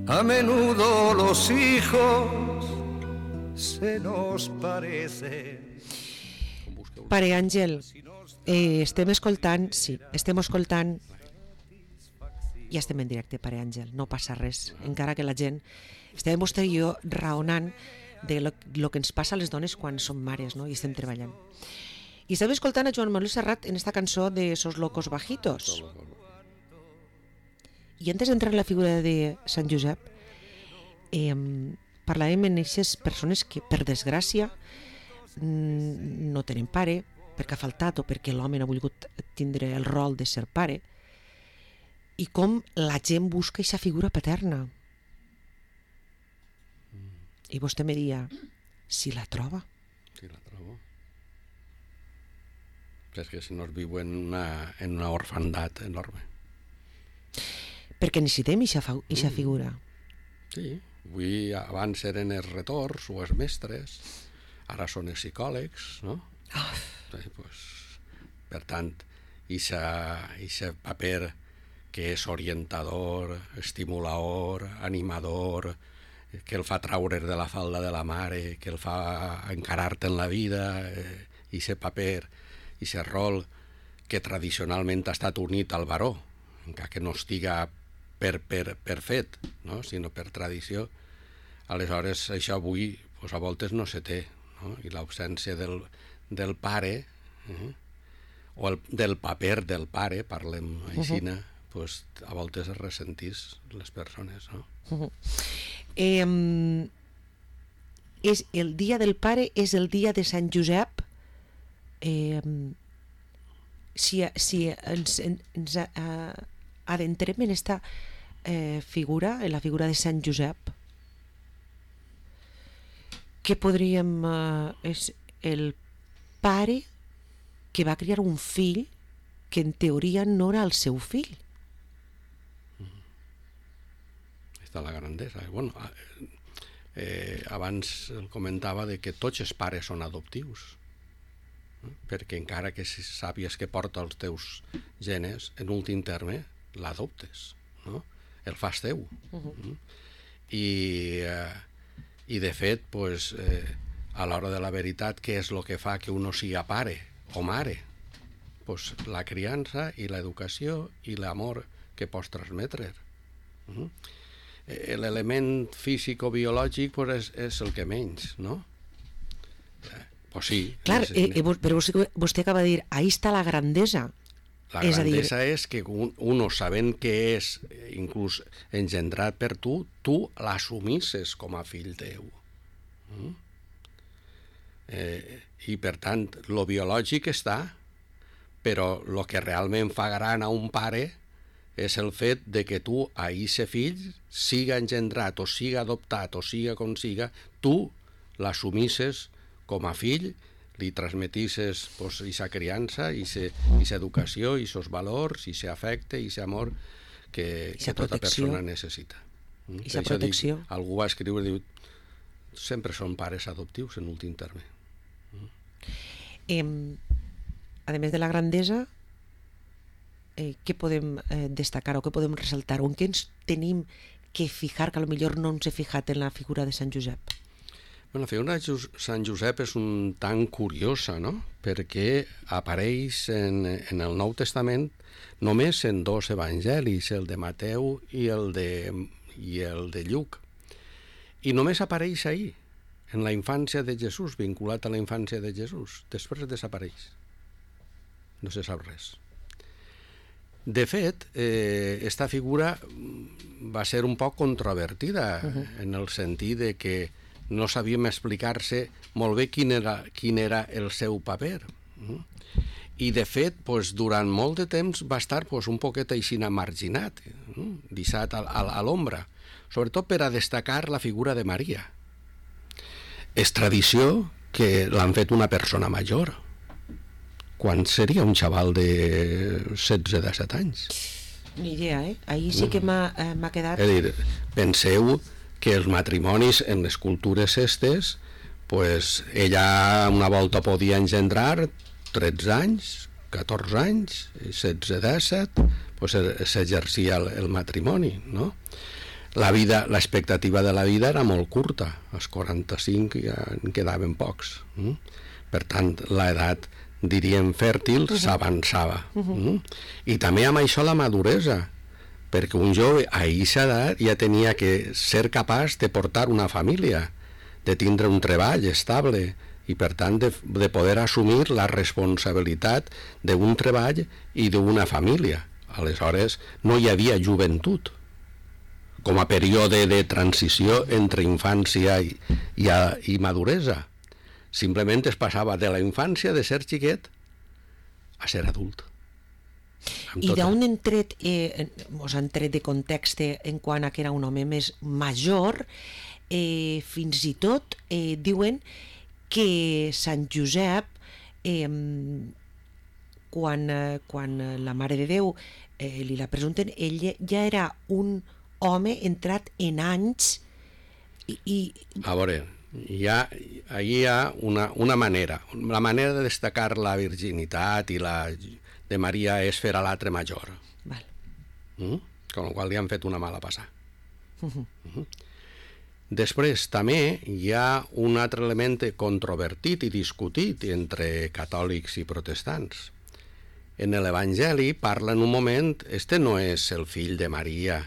A menudo los hijos se nos parecen. Pare Àngel, estem escoltant, ja estem en directe, Pare Àngel, no passa res, encara que la gent, estàvem vostè i jo raonant de lo que ens passa a les dones quan som mares, no? I estem treballant. I estàvem escoltant a Joan Manuel Serrat en esta cançó de Esos locos bajitos. I antes d'entrar en la figura de Sant Josep, parlàvem en aquestes persones que, per desgràcia, no tenen pare perquè ha faltat o perquè l'home no ha volgut tindre el rol de ser pare, i com la gent busca aquesta figura paterna. I vostè me dia, si la troba. Si la trobo. És que si no es viu en una orfandat enorme. Perquè necessitem aquesta figura. Sí, avui abans eren els retors o els mestres, ara són els psicòlegs, no? Sí, pues, per tant, aquest paper que és orientador, estimulador, animador, que el fa traure de la falda de la mare, que el fa encarar-te en la vida, aquest paper, aquest rol que tradicionalment ha estat unit al baró, encara que no estiga per fet, no? Sinó per tradició. Aleshores, això avui pues, a voltes no se té, no? I l'ausència del pare, o del paper del pare, parlem així, pues, a voltes es ressentís les persones, no? És el dia del pare, és el dia de Sant Josep. Si ens adentrem en esta figura, en la figura de Sant Josep, que podríem... és el pare que va criar un fill que en teoria no era el seu fill. Està la grandesa. Bueno, abans el comentava de que tots els pares són adoptius, perquè encara que sàpies que porta els teus genes, en últim terme l'adoptes, no? El fas teu. I de fet, pues, a l'hora de la veritat, què és el que fa que uno siga pare o mare? Pues la criança i l'educació i l'amor que pots transmetre. L'element físic o biològic pues, és el que menys, no? Pues sí. Clar, però vostè acaba de dir, ahí està la grandesa. La grandesa és que uno sabent que és inclús engendrat per tu l'assumisses com a fill teu. I per tant, lo biològic està, però el que realment fa gran a un pare és el fet de que tu a ese fill siga engendrat o siga adoptat o siga com siga, tu l'assumisses com a fill, li transmetisses aquesta criança, aquesta educació, aquests valors, aquest afecte, aquest amor que tota persona necessita. Aquesta protecció. Algú va escriure, diu, sempre són pares adoptius en últim terme. A més de la grandesa, què podem destacar o què podem ressaltar o en què ens tenim que fijar que potser no ens he fijat en la figura de Sant Josep? La figura de Sant Josep és un tant curiosa, no? Perquè apareix en el Nou Testament només en dos evangelis, el de Mateu i el de Lluc. I només apareix ahir, en la infància de Jesús, vinculat a la infància de Jesús. Després desapareix. No se sap res. De fet, esta figura va ser un poc controvertida en el sentit de que no sabíem explicar-se molt bé quin era el seu paper. I de fet, durant molt de temps va estar un poquet així marginat, deixat a l'ombra, sobretot per a destacar la figura de Maria. És tradició que l'han fet una persona major, quan seria un xaval de 16-17 anys. Ni idea, ahir sí que m'ha quedat... És a dir, penseu que els matrimonis en les cultures estes, ella una volta podia engendrar 13 anys, 14 anys, 16-17, s'exercia el matrimoni, no? l'expectativa de la vida era molt curta, als 45 ja en quedaven pocs. Per tant, l'edat, diríem, fèrtil s'avançava. I també amb això la maduresa, perquè un jove a aquesta edat ja tenia que ser capaç de portar una família, de tindre un treball estable i, per tant, de poder assumir la responsabilitat d'un treball i d'una família. Aleshores, no hi havia joventut com a període de transició entre infància i maduresa. Simplement es passava de la infància, de ser xiquet, a ser adult. I d'on han tret, han tret de context en quant a que era un home més major, fins i tot diuen que Sant Josep, quan la Mare de Déu li la presenten, ell ja era un home entrat en anys i... A veure, allí hi ha una manera. La manera de destacar la virginitat i la de Maria és fer a l'altre major. Val. Con la qual li han fet una mala passada. Després també hi ha un altre element controvertit i discutit entre catòlics i protestants. En l'Evangeli parla en un moment, este no és el fill de Maria,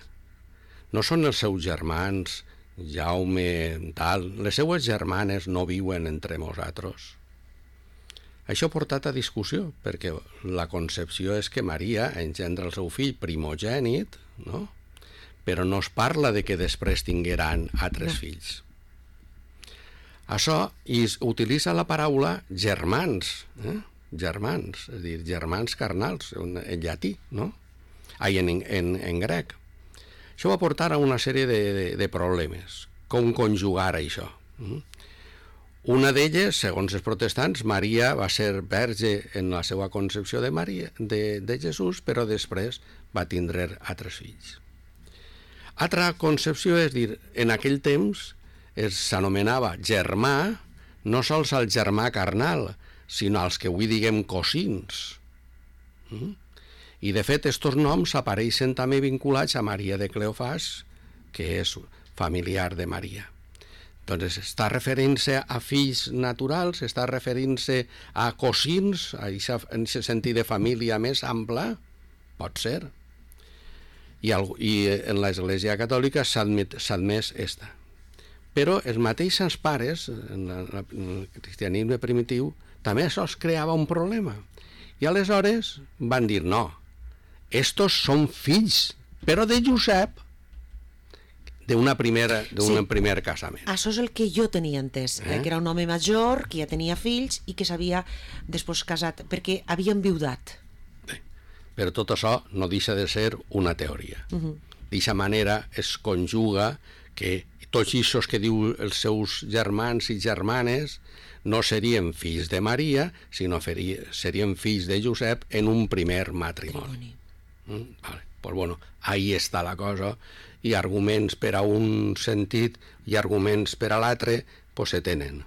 no són els seus germans, Jaume, tal, les seues germanes no viuen entre nosaltres. Això ha portat a discussió, perquè la concepció és que Maria engendra el seu fill primogènit, no? Però no es parla de que després tingueran altres fills. Això utilitza la paraula germans, germans, és a dir, germans carnals, en llatí, no? En grec. Això va portar a una sèrie de problemes. Com conjugar això? Una d'elles, segons els protestants, Maria va ser verge en la seva concepció de Jesús, però després va tindre altres fills. Altra concepció és dir, en aquell temps s'anomenava germà, no sols el germà carnal, sinó els que avui diguem cosins. I, de fet, aquests noms apareixen també vinculats a Maria de Cleofàs, que és familiar de Maria. Doncs està referint-se a fills naturals, està referint-se a cosins, en aquest sentit de família més ampla, pot ser. I en l'Església Catòlica s'ha admès esta. Però els mateixos pares, en el cristianisme primitiu, també això es creava un problema. I aleshores van dir, no, estos són fills, però de Josep, d'un primer casament. Això és el que jo tenia entès, que era un home major, que ja tenia fills i que s'havia després casat, perquè havia enviudat. Però tot això no deixa de ser una teoria. D'aquesta manera es conjuga que tots aquests que diu els seus germans i germanes no serien fills de Maria, sinó serien fills de Josep en un primer matrimoni. Vale. Pues bueno, ahí està la cosa, i arguments per a un sentit i arguments per a l'altre, pues se tenen.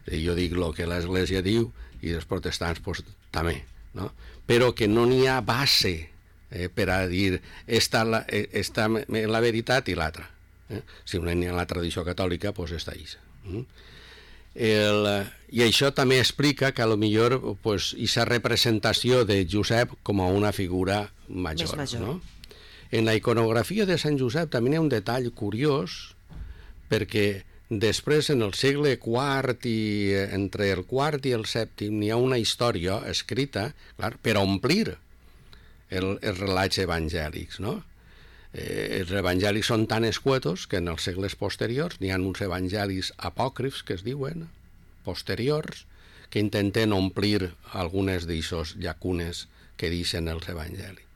Jo dic el que l'Església diu i els protestants pues, també, no? Però que no n'hi ha base per a dir esta la veritat i l'altra. Si no n'hi ha la tradició catòlica, pues està ahí. I això també explica que potser aquesta representació de Josep com a una figura major. No? En la iconografia de Sant Josep també hi ha un detall curiós, perquè després, en el segle IV i entre el IV i el VII, n'hi ha una història escrita, clar, per omplir els relats evangèlics, no? Els evangelis són tan escuetos que en els segles posteriors n'hi ha uns evangelis apòcrifs, que es diuen, posteriors, que intenten omplir algunes d'aquestes llacunes que deixen els evangelis.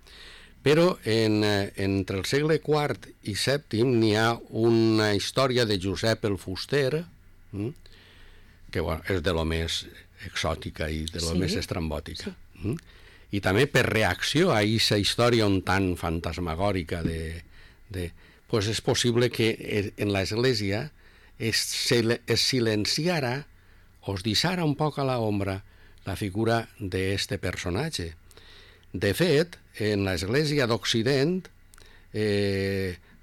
Però entre el segle IV i VII n'hi ha una història de Josep el Fuster, que és de lo més exòtica i de lo més estrambòtica. I també per reacció a aquesta història un tant fantasmagòrica pues és possible que en l'Església es silenciara o es deixara un poc a l'ombra la figura d'este personatge. De fet, en l'Església d'Occident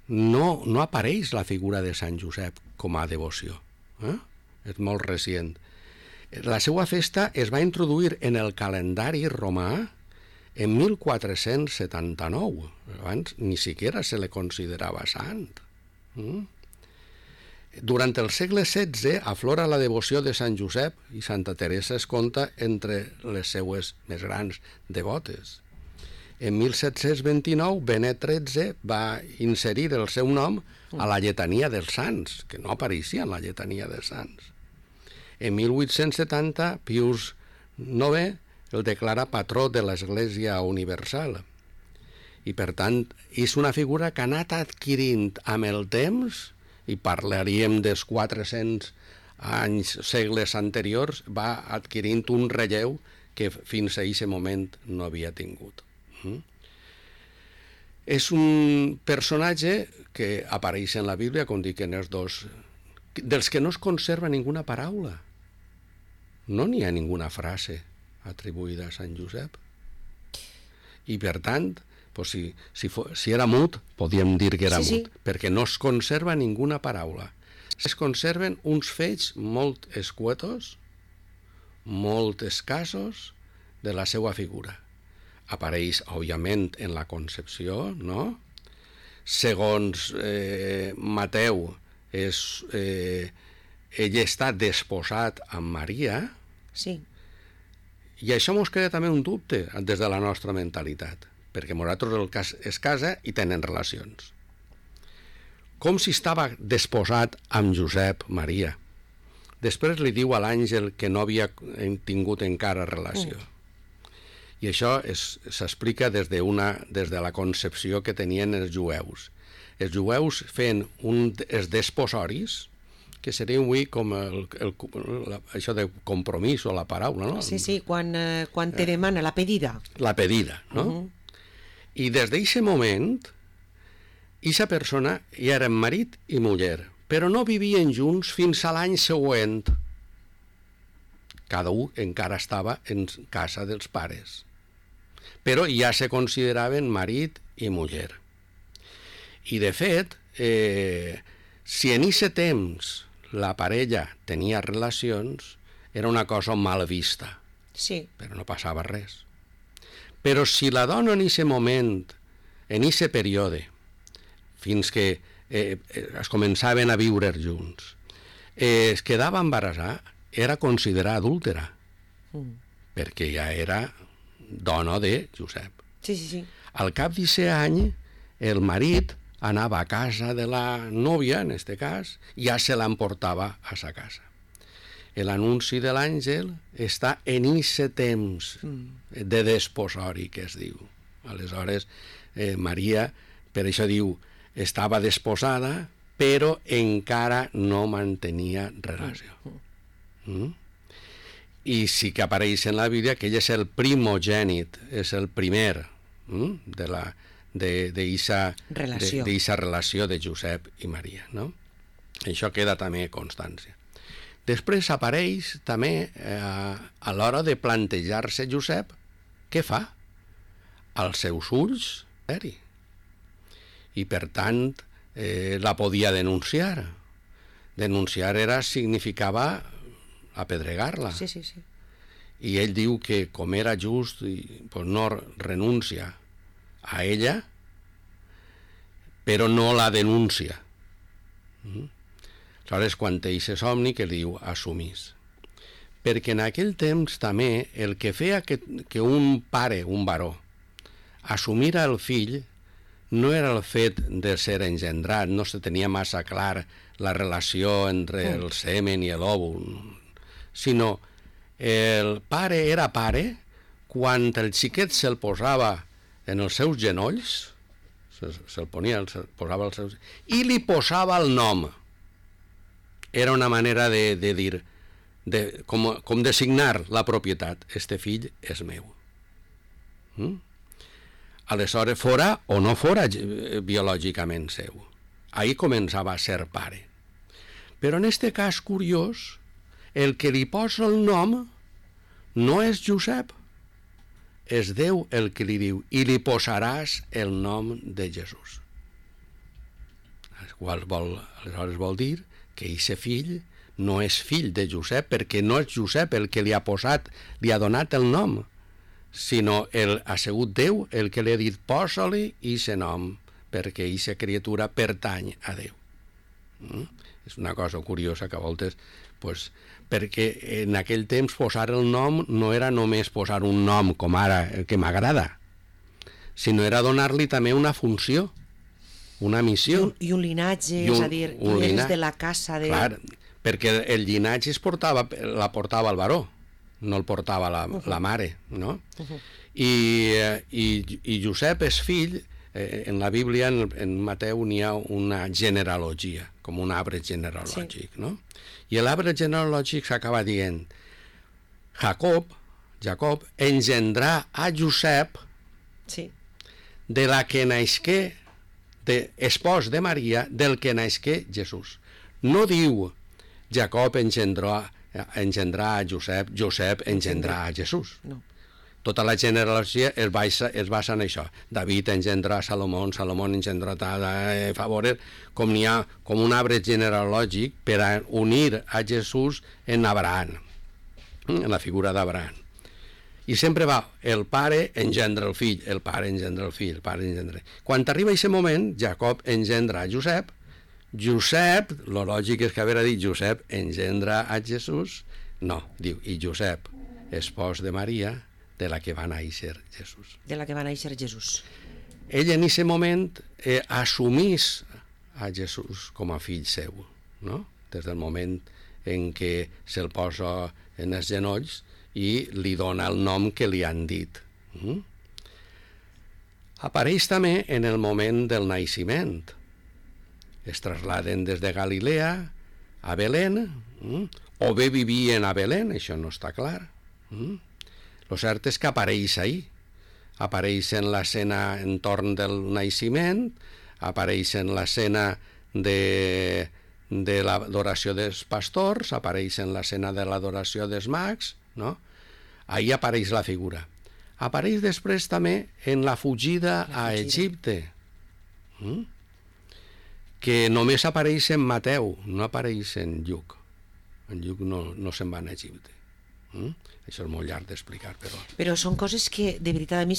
no apareix la figura de Sant Josep com a devoció. És molt recient. La seva festa es va introduir en el calendari romà en 1479. Abans ni siquiera se le considerava sant. Durant el segle XVI aflora la devoció de Sant Josep i Santa Teresa es compta entre les seues més grans devotes. En 1729, Benet XIII va inserir el seu nom a la lletania dels sants, que no apareixia en la lletania dels sants. En 1870, Pius IX el declara patró de l'Església Universal. I, per tant, és una figura que ha anat adquirint amb el temps, i parlaríem dels 400 anys, segles anteriors, va adquirint un relleu que fins a aquest moment no havia tingut. És un personatge que apareix en la Bíblia, com dic en els dos, dels que no es conserva ninguna paraula. No n'hi ha ninguna frase atribuïda a Sant Josep. I, per tant, pues si era mut, podíem dir que era mut, perquè no es conserva ninguna paraula. Es conserven uns fets molt escuetos, molt escassos, de la seva figura. Apareix, òbviament, en la concepció, no? Segons Mateu, ell està desposat amb Maria, sí. I això mos crea també un dubte des de la nostra mentalitat, perquè nosaltres es casa i tenen relacions. Com si estava desposat amb Josep Maria. Després li diu a l'àngel que no havia tingut encara relació. I això s'explica des de la concepció que tenien els jueus. Els jueus feien els desposoris, que seria avui com això de compromís o la paraula, no? Sí, quan te demana la pedida. La pedida, no? I des d'aquest moment, aquesta persona ja eren marit i muller, però no vivien junts fins a l'any següent. Cada un encara estava en casa dels pares, però ja se consideraven marit i muller. I, de fet, si en aquest temps la parella tenia relacions, era una cosa mal vista, però no passava res. Però si la dona en aquest moment, en aquest període, fins que es començaven a viure junts, es quedava embarassada, era considerada adúltera, perquè ja era dona de Josep. Sí. Al cap d'aquest any, el marit anava a casa de la nòvia, en aquest cas, i ja se l'emportava a sa casa. L'anunci de l'àngel està en aquest temps de desposori, que es diu. Aleshores, Maria, per això diu, estava desposada, però encara no mantenia relació. I sí que apareix en la Bíblia que ell és el primogènit, és el primer d'eixa relació de Josep i Maria, no? Això queda també constància. Després apareix també a l'hora de plantejar-se Josep, què fa? Als seus ulls, i per tant la podia denunciar. Denunciar significava apedregar-la. Sí. I ell diu que com era just, pues no renuncia a ella, però no la denuncia. Aleshores, quan té aquest somni, que li diu assumís. Perquè en aquell temps també el que feia que un pare, un baró, assumira el fill no era el fet de ser engendrat, no se tenia massa clar la relació entre el semen i l'òvul, sinó el pare era pare quan el xiquet se'l posava en els seus genolls, se'l posava als seus... i li posava el nom. Era una manera de dir, com designar la propietat. Este fill és meu. Aleshores, fora o no fora biològicament seu. Ahí començava a ser pare. Però en este cas curiós, el que li posa el nom no és Josep, és Déu el que li diu, i li posaràs el nom de Jesús. Aleshores vol dir que aquest fill no és fill de Josep, perquè no és Josep el que li ha donat el nom, sinó ha sigut Déu el que li ha dit posa-li aquest nom, perquè aquesta criatura pertany a Déu. És una cosa curiosa que a voltes, pues, perquè en aquell temps posar el nom no era només posar un nom com ara, el que m'agrada, sinó era donar-li també una funció, una missió. I un linatge, és a dir, és de la casa de... Clar, perquè el llinatge la portava el baró, no el portava la mare, no? I Josep és fill, en la Bíblia, en Mateu, n'hi ha una genealogia, com un arbre genealògic, no? I l'arbre genealògic s'acaba dient Jacob engendrà a Josep de la que naixqué, espòs de Maria, del que naixqué Jesús. No diu Jacob engendrà a Josep, Josep engendrà a Jesús. No. Tota la genealogia es basa en això. David engendrà a Salomó, Salomó engendrà a favor, com n'hi ha com un arbre genealògic per a unir a Jesús en Abraham, en la figura d'Abraham. I sempre va, el pare engendra el fill, el pare engendra el fill, el pare engendra... Quan arriba aquest moment, Jacob engendra a Josep, Josep, lo lògic és que haver dit Josep engendra a Jesús, no, diu, i Josep, espòs de Maria, de la que va néixer Jesús. De la que va néixer Jesús. Ell en aquest moment assumís a Jesús com a fill seu, no? Des del moment en què se'l posa en els genolls i li dona el nom que li han dit. Apareix també en el moment del naixement. Es trasladen des de Galilea a Belén, o bé vivien a Belén, això no està clar. Lo cert és que apareix ahí. Apareix en l'escena entorn del naixement, apareix en l'escena de l'adoració dels pastors, apareix en l'escena de l'adoració dels mags, no? Ahí apareix la figura. Apareix després també en la fugida a Egipte, que només apareix en Mateu, no apareix en Lluc. En Lluc no se'n va a Egipte. Això és molt llarg d'explicar, però... Però són coses que, de veritat, a mi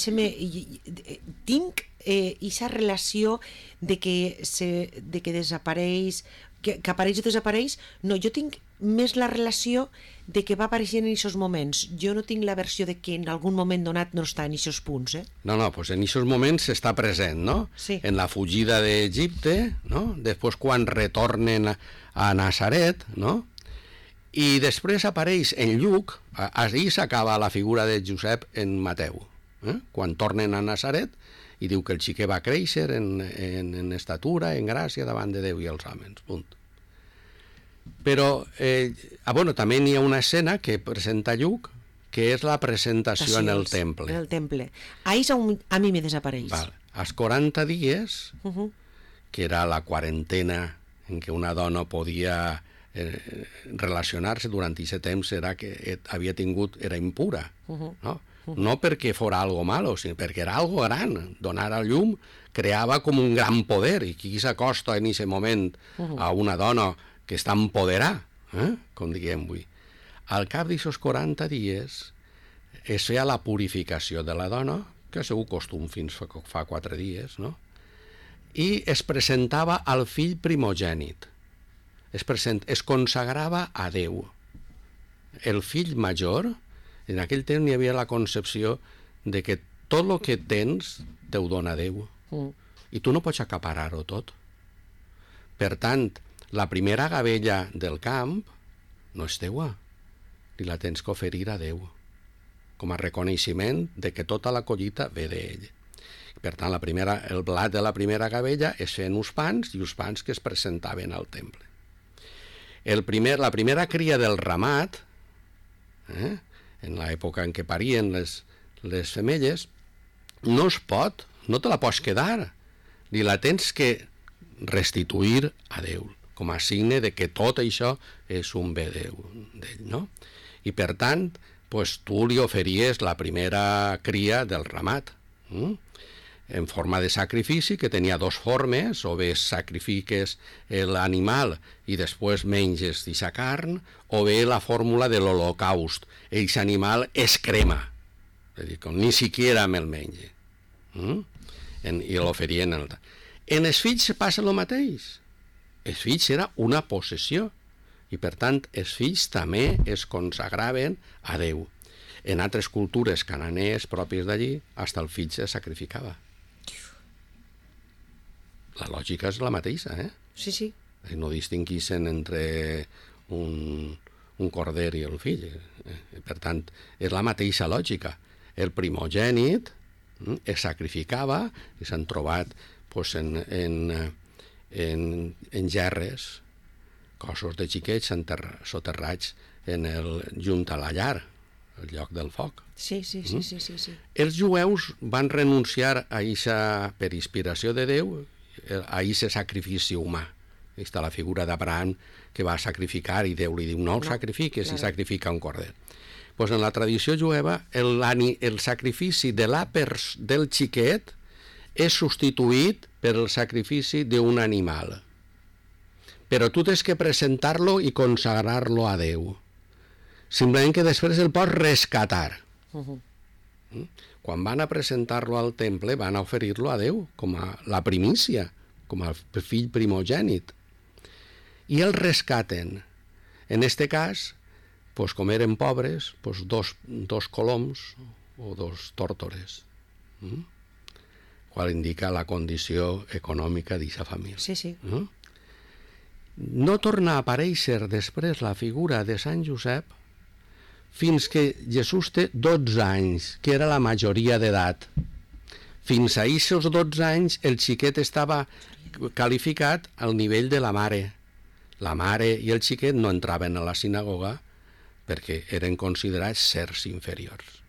tinc aquesta relació de que desapareix, que apareix o desapareix. No, jo tinc més la relació de que va apareixent en aquests moments. Jo no tinc la versió de que en algun moment donat no està en aquests punts, No, doncs en aquests moments està present, no? Sí. En la fugida d'Egipte, no? Després quan retornen a Nazaret, no? I després apareix en Lluc, ahir s'acaba la figura de Josep en Mateu, quan tornen a Nazaret, i diu que el xiquet va créixer en estatura, en gràcia, davant de Déu i els homes, punt. Però, també n'hi ha una escena que presenta Lluc, que és la presentació en el temple. En el temple. Ahí a mi me desapareix. Als 40 dies, que era la quarantena en què una dona podia relacionar-se durant aquest temps, era que era impura, no? No perquè fora algo malo, sinó perquè era algo gran. Donar a llum creava com un gran poder, i qui s'acosta en aquest moment a una dona que està empoderada, com diguem avui. Al cap d'aquests 40 dies es feia la purificació de la dona, que ha sigut costum fins fa 4 dies, no? I es presentava al fill primogènit. Es consagrava a Déu. El fill major, en aquell temps hi havia la concepció de que tot el que tens te ho dona Déu. I tu no pots acaparar-ho tot. Per tant, la primera gavella del camp no és teua, ni la tens que oferir a Déu, com a reconeixement de que tota la collita ve d'ell. Per tant, el blat de la primera gavella es feien uns pans, i uns pans que es presentaven al temple. La primera cria del ramat, en l'època en què parien les femelles, no te la pots quedar, ni la tens que restituir a Déu, com a signe de que tot això és un bé d'ell, no? I per tant, tu li oferties la primera cria del ramat. en forma de sacrifici, que tenia dos formes, o bé sacrifiques l'animal i després menges d'aquesta carn, o bé la fórmula de l'holocaust, aquest animal es crema, és a dir, ni siquiera me'l menja, i l'oferien. En els fills passa el mateix. Els fills era una possessió, i per tant els fills també es consagraven a Déu. En altres cultures cananees pròpies d'allí, fins el fill se sacrificava. La lògica és la mateixa, eh? Sí, sí. No distinguissin entre un corder i el fill. Per tant, és la mateixa lògica. El primogènit es sacrificava i s'han trobat en gerres cossos de xiquets soterrats junt a la llar, al lloc del foc. Sí. Els jueus van renunciar a eixa, per inspiració de Déu, a eixe sacrifici humà. Està la figura d'Abraham que va sacrificar i Déu li diu no el sacrifiques i sacrifica un corder. Pues en la tradició jueva el sacrifici del xiquet és substituït per el sacrifici d'un animal. Però tu tens que presentar-lo i consagrar-lo a Déu. Simplement que després el pots rescatar. Quan van a presentar-lo al temple, van a oferir-lo a Déu com a la primícia, com a fill primogènit. I el rescaten. En este cas, com eren pobres, dos coloms o dos tórtores, qual indica la condició econòmica d'aquesta família. Sí. No torna a aparèixer després la figura de Sant Josep fins que Jesús té 12 anys, que era la majoria d'edat. Fins a aquests 12 anys el xiquet estava qualificat al nivell de la mare. La mare i el xiquet no entraven a la sinagoga perquè eren considerats sers inferiors.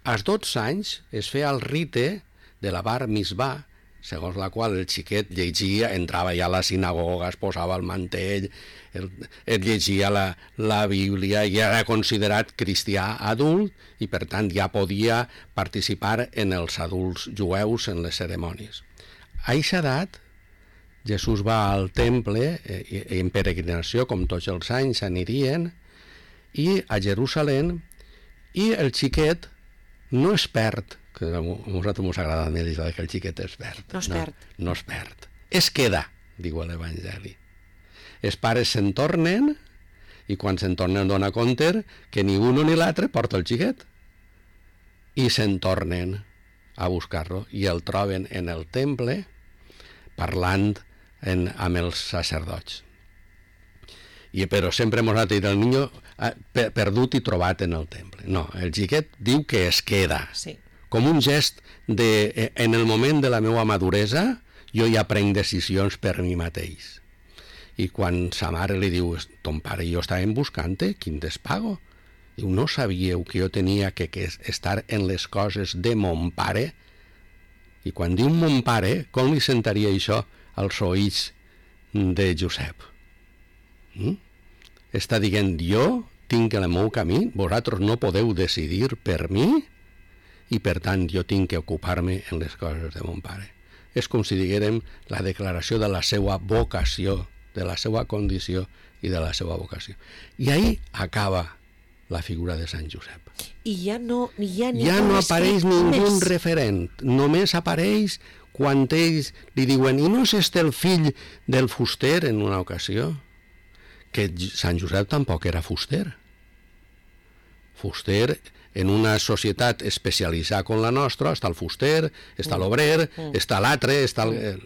Als 12 anys es feia el rite de la bar mitzvah, segons la qual el xiquet llegia, entrava ja a la sinagoga, es posava el mantell, el llegia la Bíblia i era considerat cristià adult i per tant ja podia participar en els adults jueus en les cerimònies. A aquesta edat Jesús va al temple en peregrinació, com tots els anys anirien, i a Jerusalem, i el xiquet no es perd, que a nosaltres ens agrada més que el xiquet es perd. No es perd. Es queda, diu l'Evangeli. Els pares se'n tornen i quan se'n tornen dona compte que ni un ni l'altre porta el xiquet. I se'n tornen a buscar-lo i el troben en el temple parlant amb els sacerdots. Però sempre ens ha dit el niño perdut i trobat en el temple. No, el xiquet diu que es queda. Sí. Com un gest de, en el moment de la meva maduresa, jo ja prenc decisions per mi mateix. I quan sa mare li diu, ton pare i jo estàvem buscant-te, quin despago? Diu, no sabíeu que jo tenia que estar en les coses de mon pare? I quan diu mon pare, com li sentaria això als oïts de Josep? Està dient, jo tinc el meu camí, vosaltres no podeu decidir per mi, i per tant jo tinc que ocupar-me en les coses de mon pare. És com si diguérem la declaració de la seva vocació, de la seva condició i de la seva vocació. I ahí acaba la figura de Sant Josep. I ja no apareix ningú referent, només apareix quan ells li diuen, i no és este el fill del fuster en una ocasió? Que Sant Josep tampoc era fuster. Fuster, en una societat especialitzada com la nostra, està el fuster, està l'obrer, està l'altre, està el...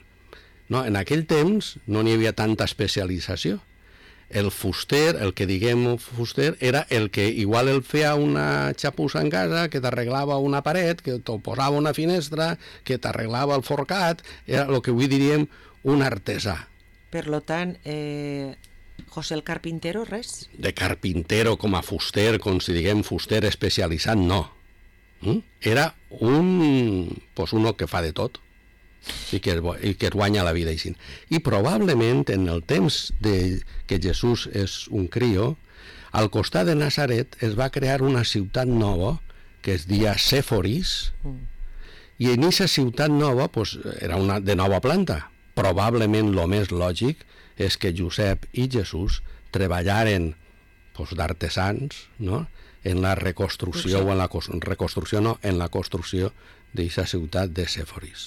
No, en aquell temps no n'hi havia tanta especialització. El fuster, el que diguem fuster, era el que igual el feia una xapussa en casa, que t'arreglava una paret, que t'ho posava una finestra, que t'arreglava el forcat, era el que avui diríem un artesà. Per tant, José el Carpintero, res? De carpintero com a fuster, com si diguem fuster especialitzat, no. Era uno que fa de tot i que es guanya la vida així. I probablement en el temps que Jesús és un crio, al costat de Nazaret es va crear una ciutat nova que es deia Sèforis I en aquesta ciutat nova pues, era una de nova planta. Probablement el més lògic és que Josep i Jesús treballaren pues, d'artesans, no?, en la reconstrucció, o en la reconstrucció no, en la construcció d'aquesta ciutat de Sèforis.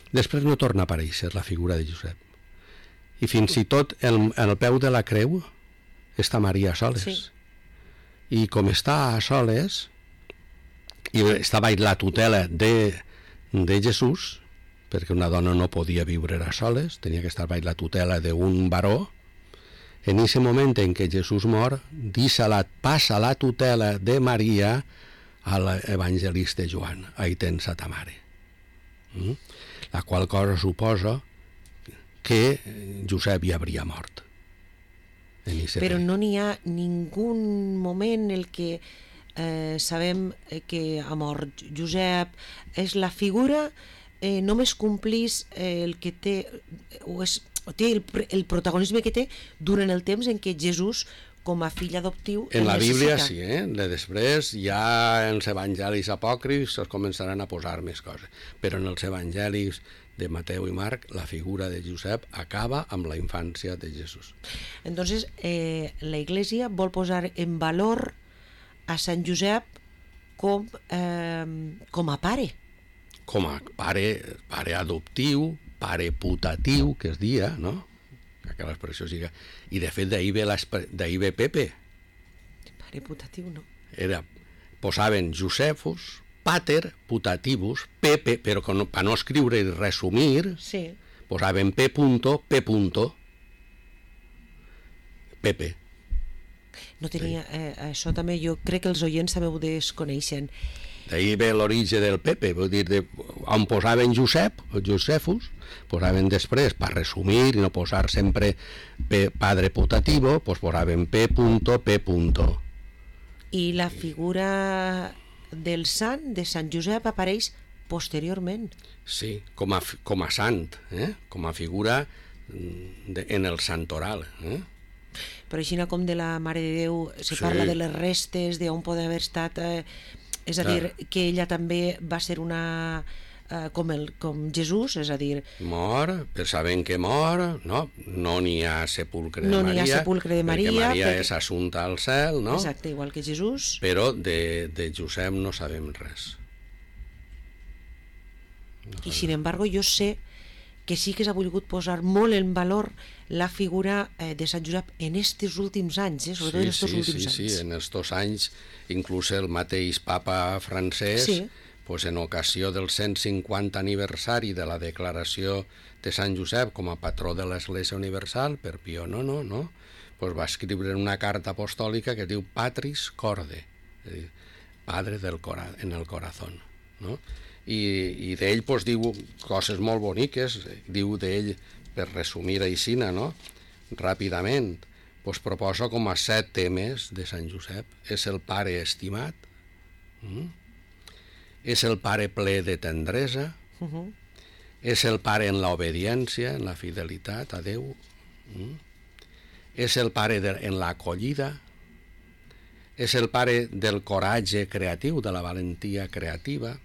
Després no torna a aparèixer la figura de Josep. I fins i tot el peu de la creu està Maria a soles. Sí. I com està a soles, i estava la tutela de Jesús, perquè una dona no podia viure a soles, tenia que estar baix la tutela d'un baró. En aquest moment en què Jesús mor, passa la tutela de Maria a l'evangelista Joan. Ahí tens a ta mare. La qual cosa suposa que Josep ja hauria mort. Però no n'hi ha ningú moment en el que sabem que ha mort Josep. És la figura només complís el que té o té el protagonisme que té durant el temps en què Jesús com a fill adoptiu en la Bíblia sí, després ja en els evangelis apòcrifs es començaran a posar més coses, però en els evangelis de Mateu i Marc la figura de Josep acaba amb la infància de Jesús. Entonces la Iglesia vol posar en valor a Sant Josep com a pare. Com a pare adoptiu, pare putatiu, que es dia, no? Que l'expressió siga... I de fet d'ahir ve Pepe. Pare putatiu, no? Posaven Josefus, pater putativus, Pepe, però per no escriure i resumir, sí. Posaven P. Pepe. No tenia... això també jo crec que els oients també ho desconeixen. D'ahir ve l'origen del Pepe, vull dir, on posaven Josefus, posaven després, per resumir i no posar sempre padre putativo, pues posaven P. I la figura del sant, de Sant Josep, apareix posteriorment. Sí, com a sant, com a figura en el santoral. Però així com de la Mare de Déu se parla de les restes, d'on pot haver estat... És a dir, que ella també va ser una... com Jesús, és a dir... Mor, però sabem que mor, no n'hi ha sepulcre de Maria. No n'hi ha sepulcre de Maria. Perquè Maria és assunta al cel, no? Exacte, igual que Jesús. Però de Josep no sabem res. I, sin embargo, jo sé que sí que s'ha volgut posar molt en valor la figura de Sant Josep en aquests últims anys, sobretot en aquests últims anys. Sí, en aquests anys, inclús el mateix papa francès, pues en ocasió del 150 aniversari de la declaració de Sant Josep com a patró de l'Església Universal, per Pío IX, pues va escriure una carta apostòlica que diu Patris Corde, és a dir, padre en el corazón, no? I d'ell pues, diu coses molt boniques, diu d'ell, per resumir aixina, no? Ràpidament, pues, proposa com a 7 temes de Sant Josep. És el pare estimat, és el pare ple de tendresa, és el pare en l'obediència, en la fidelitat a Déu, és el pare en l'acollida, és el pare del coratge creatiu, de la valentia creativa,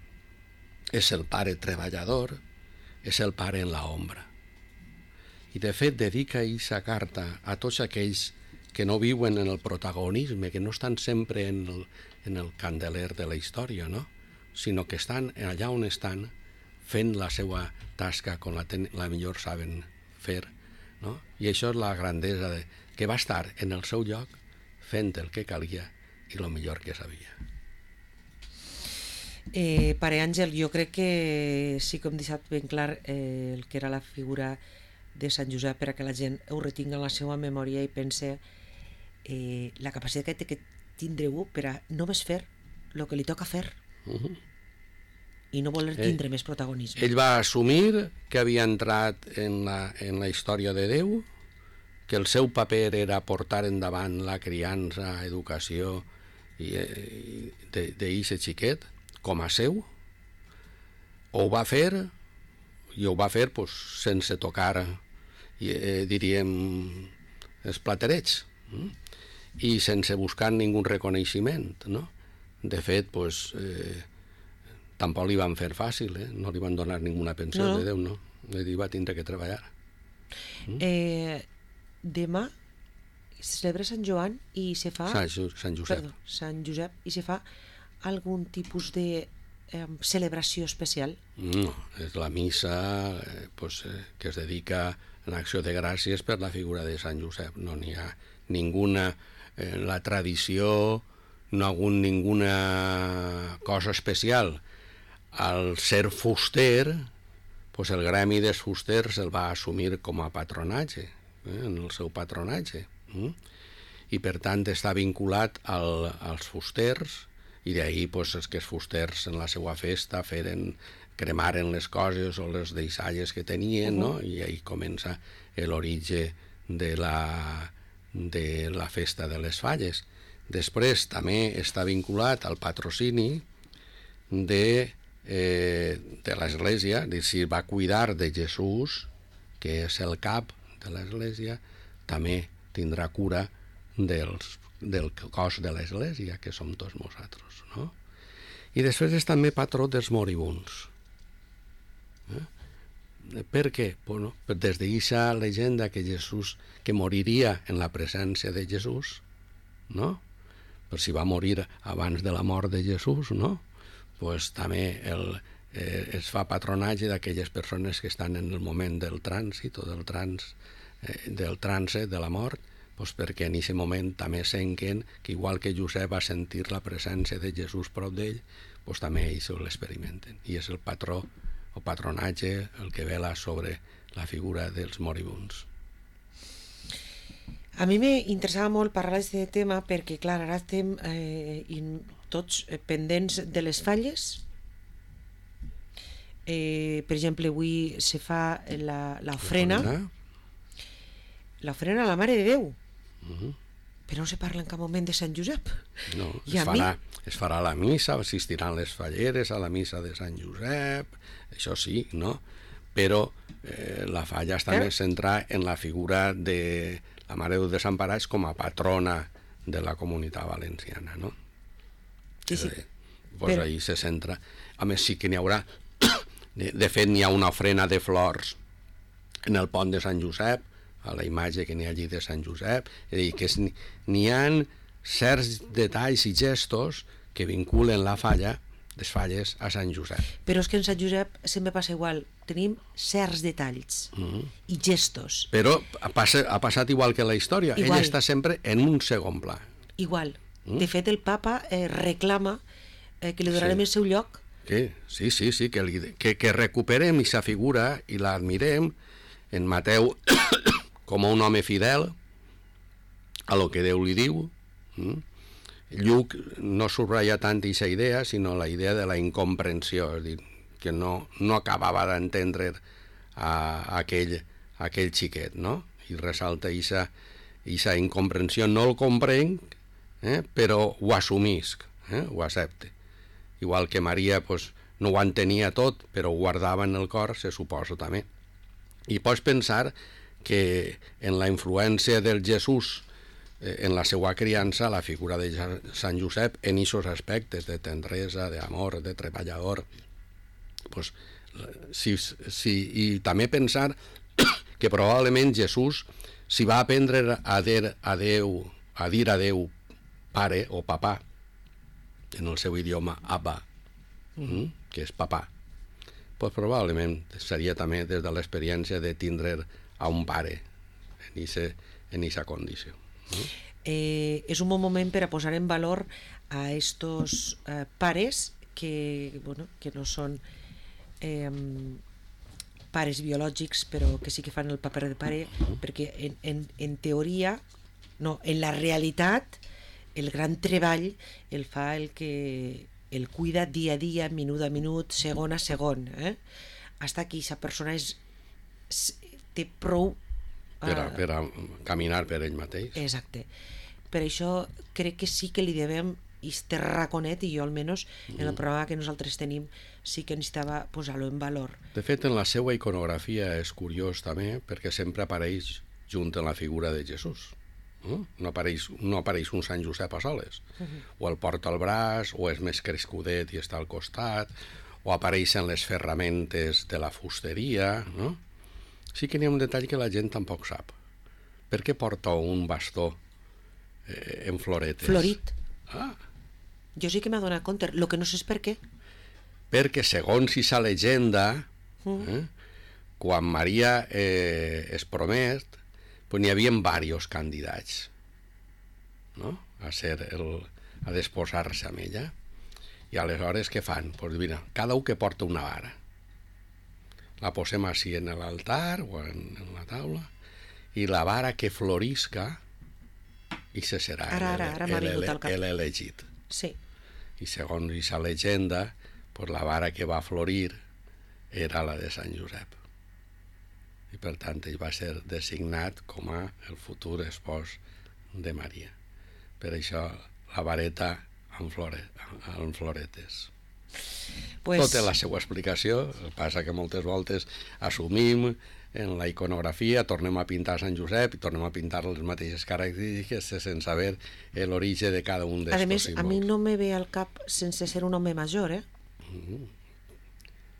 és el pare treballador, és el pare en l'ombra. I de fet dedica aquesta carta a tots aquells que no viuen en el protagonisme, que no estan sempre en el candeler de la història, no? Sinó que estan allà on estan fent la seva tasca com la millor saben fer, no? I això és la grandesa que va estar en el seu lloc fent el que calia i el millor que sabia. Pare Àngel, jo crec que sí que hem deixat ben clar el que era la figura de Sant Josep per a que la gent ho retingui en la seva memòria i pense la capacitat que tindreu per a només fer el que li toca fer i no voler tindre més protagonisme. Ell va assumir que havia entrat en la història de Déu, que el seu paper era portar endavant la criança, educació d'eixe xiquet com a seu. Ho va fer i ho va fer pues, sense tocar diríem els platerets i sense buscar ningú reconeixement, no? De fet, pues, tampoc li van fer fàcil, no li van donar ninguna pensió No. de Déu, no. Ell va tindre que treballar. Demà se celebra Sant Joan i se fa... Sant Josep. Perdó, Sant Josep, i se fa algun tipus de celebració especial? No, és la missa que es dedica en acció de gràcies per la figura de Sant Josep. No n'hi ha ninguna... la tradició no ha hagut ninguna cosa especial. Al ser fuster, el gremi dels fusters el va assumir com a patronatge, en el seu patronatge. I per tant està vinculat als fusters, i d'ahir que els fusters en la seva festa cremaren les coses o les deixalles que tenien, no? I ahir comença l'origen de la festa de les falles. Després també està vinculat al patrocini de l'Església, si va cuidar de Jesús, que és el cap de l'Església, també tindrà cura del cos de l'Església, que som tots nosaltres, no? I després és també patró dels moribunds. Per què? Bueno, des d'aquesta llegenda que Jesús, que moriria en la presència de Jesús, no? Per si va morir abans de la mort de Jesús, no? Pues també es fa patronatge d'aquelles persones que estan en el moment del trànsit o del trànsit de la mort, pues perquè en aquest moment també senten que igual que Josep va sentir la presència de Jesús prop d'ell, pues també ells l'experimenten. I és el patró o patronatge el que vela sobre la figura dels moribunds. A mi m'interessava molt parlar d'aquest tema perquè, clar, ara estem tots pendents de les falles. Per exemple, avui se fa l'ofrena a la Mare de Déu. Però no se parla en cap moment de Sant Josep. No, es farà la missa, assistiran les falleres a la missa de Sant Josep, això sí, no? Però la falla està més centrada en la figura de la Mare de Déu Desemparats com a patrona de la comunitat valenciana, no? Sí. Pues ahí se centra. A més, sí que n'hi haurà... De fet, n'hi ha una ofrena de flors en el pont de Sant Josep, a la imatge que n'hi ha allí de Sant Josep, és a dir, que n'hi ha certs detalls i gestos que vinculen les falles a Sant Josep. Però és que en Sant Josep sempre passa igual, tenim certs detalls i gestos. Però ha passat igual que la història, ell està sempre en un segon pla. Igual. De fet, el papa reclama que li donarem el seu lloc. Sí, que recuperem aquesta figura i l'admirem en Mateu com un home fidel a lo que Déu li diu. Lluc no subratlla tant aquesta idea, sinó la idea de la incomprensió, és a dir, que no acabava d'entendre aquell xiquet, no? I ressalta aquesta incomprensió. No el comprenc, però ho assumisc, ho accepte. Igual que Maria no ho entenia tot, però ho guardava en el cor, se suposa també. I pots pensar que en la influència del Jesús en la seva criança, la figura de Sant Josep en aquests aspectes de tendresa, d'amor, de treballador, i també pensar que probablement Jesús si va aprendre a dir a Déu pare o papà en el seu idioma Abba, que és papà, probablement seria també des de l'experiència de tindre a un pare en aquesta condició. És un bon moment per a posar en valor a estos pares que no són pares biològics, però que sí que fan el paper de pare, perquè en teoria, no, en la realitat, el gran treball el fa el que el cuida dia a dia, minut a minut, segon a segon, hasta que aquesta persona té prou per a caminar per ell mateix. Exacte. Per això crec que sí que li devem este raconet, i jo almenys en el programa que nosaltres tenim sí que necessitava posar-lo en valor. De fet, en la seva iconografia és curiós també, perquè sempre apareix junt en la figura de Jesús. No apareix un Sant Josep a soles. O el porta al braç, o és més crescudet i està al costat, o apareixen les ferramentes de la fusteria, no? Sí que n'hi ha un detall que la gent tampoc sap. Per què porta un bastó en floretes? Florit. Ah, Jo sí que m'ha donat compte, el que no sé és per què. perquè segons si sa llegenda, quan Maria es promet, pues n'hi havia diversos candidats, no? a desposar-se amb ella. I aleshores què fan? Pues mira, cada un que porta una vara. La posem així en l'altar o en la taula, i la vara que florisca, i se serà Ara m'ha vingut al cap. l'elegit. Sí. I segons aquesta llegenda, pues la vara que va florir era la de Sant Josep. I per tant ell va ser designat com a el futur espòs de Maria. Per això la vareta amb floretes. Pues... Tot té la seva explicació, el que passa que moltes voltes assumim en la iconografia, tornem a pintar Sant Josep i tornem a pintar les mateixes característiques sense saber l'origen de cada un d'aquests símbols. A mi no me ve al cap sense ser un home major,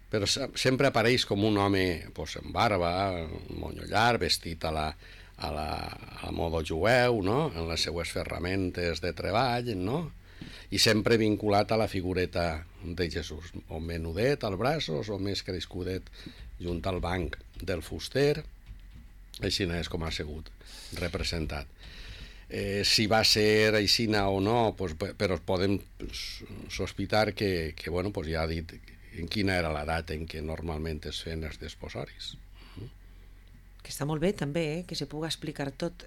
Però sempre apareix com un home pues, amb barba, monyo llarg, vestit a la moda jueu, no? En les seues ferramentes de treball, no? I sempre vinculat a la figureta de Jesús, o menudet als braços o més crescudet junt al banc del fuster. Així és com ha sigut representat. Si va ser aixina o no, pues, però podem sospitar que bueno, pues ja ha dit en quina era la data en què normalment es feien els desposoris. Que està molt bé també, que se puga explicar tot.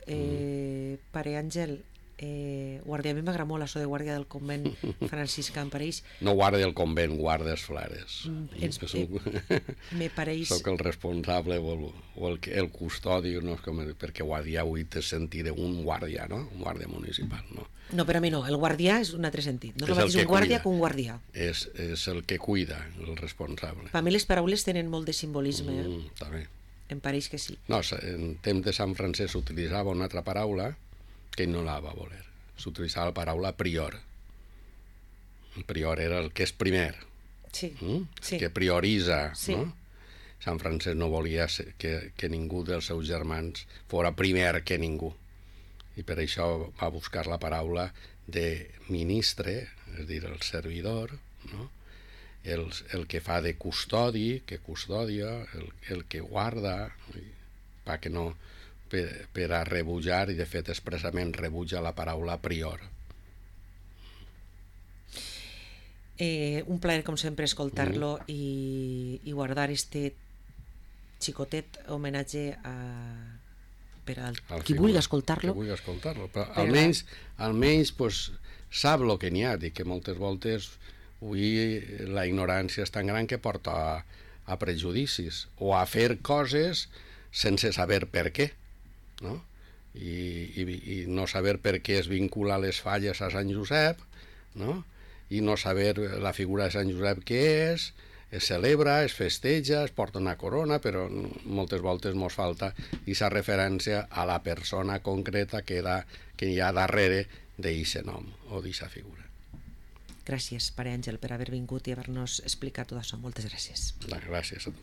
Pare Àngel, guàrdia, a mi m'agrada molt això de guàrdia del convent franciscà, em pareix... No guàrdia del convent, guàrdia dels flares. Me pareix... Soc el responsable o el custodi, no? Perquè guàrdia avui te sentiré un guàrdia, no? Un guàrdia municipal, no? No, per a mi no, el guàrdia és un altre sentit. No és És el el mateix que un guàrdia cuida. que un guardià. És el que cuida, el responsable. Per a mi les paraules tenen molt de simbolisme, També. Em pareix que sí. No, en temps de Sant Francesc s'utilitzava una altra paraula que ell no la va voler. S'utilitzava la paraula prior. El prior era el que és primer, Sí, sí. que prioritza, Sí. no? Sant Francesc no volia que ningú dels seus germans fora primer que ningú. I per això va buscar la paraula de ministre, és a dir, el servidor, no? El que fa de custodi, que custodia, el que guarda, que no, per a rebutjar, i de fet expressament rebutja la paraula prior. Un plaer, com sempre, escoltar-lo i guardar este xicotet homenatge per a qui vulgui escoltar-lo. Qui vulgui escoltar-lo, però almenys pues, sap el que n'hi ha, dic que moltes voltes avui la ignorància és tan gran que porta a prejudicis o a fer coses sense saber per què, no? I no saber per què es vincula les falles a Sant Josep, no? I no saber la figura de Sant Josep què és, es celebra, es festeja, es porta una corona, però moltes voltes mos falta aquesta referència a la persona concreta que hi ha darrere d'aquest nom o d'aquesta figura. Gràcies, Pare Àngel, per haver vingut i haver-nos explicat tot això. Moltes gràcies. Gràcies a tu.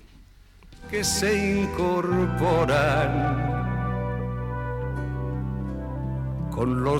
Que se incorporan con los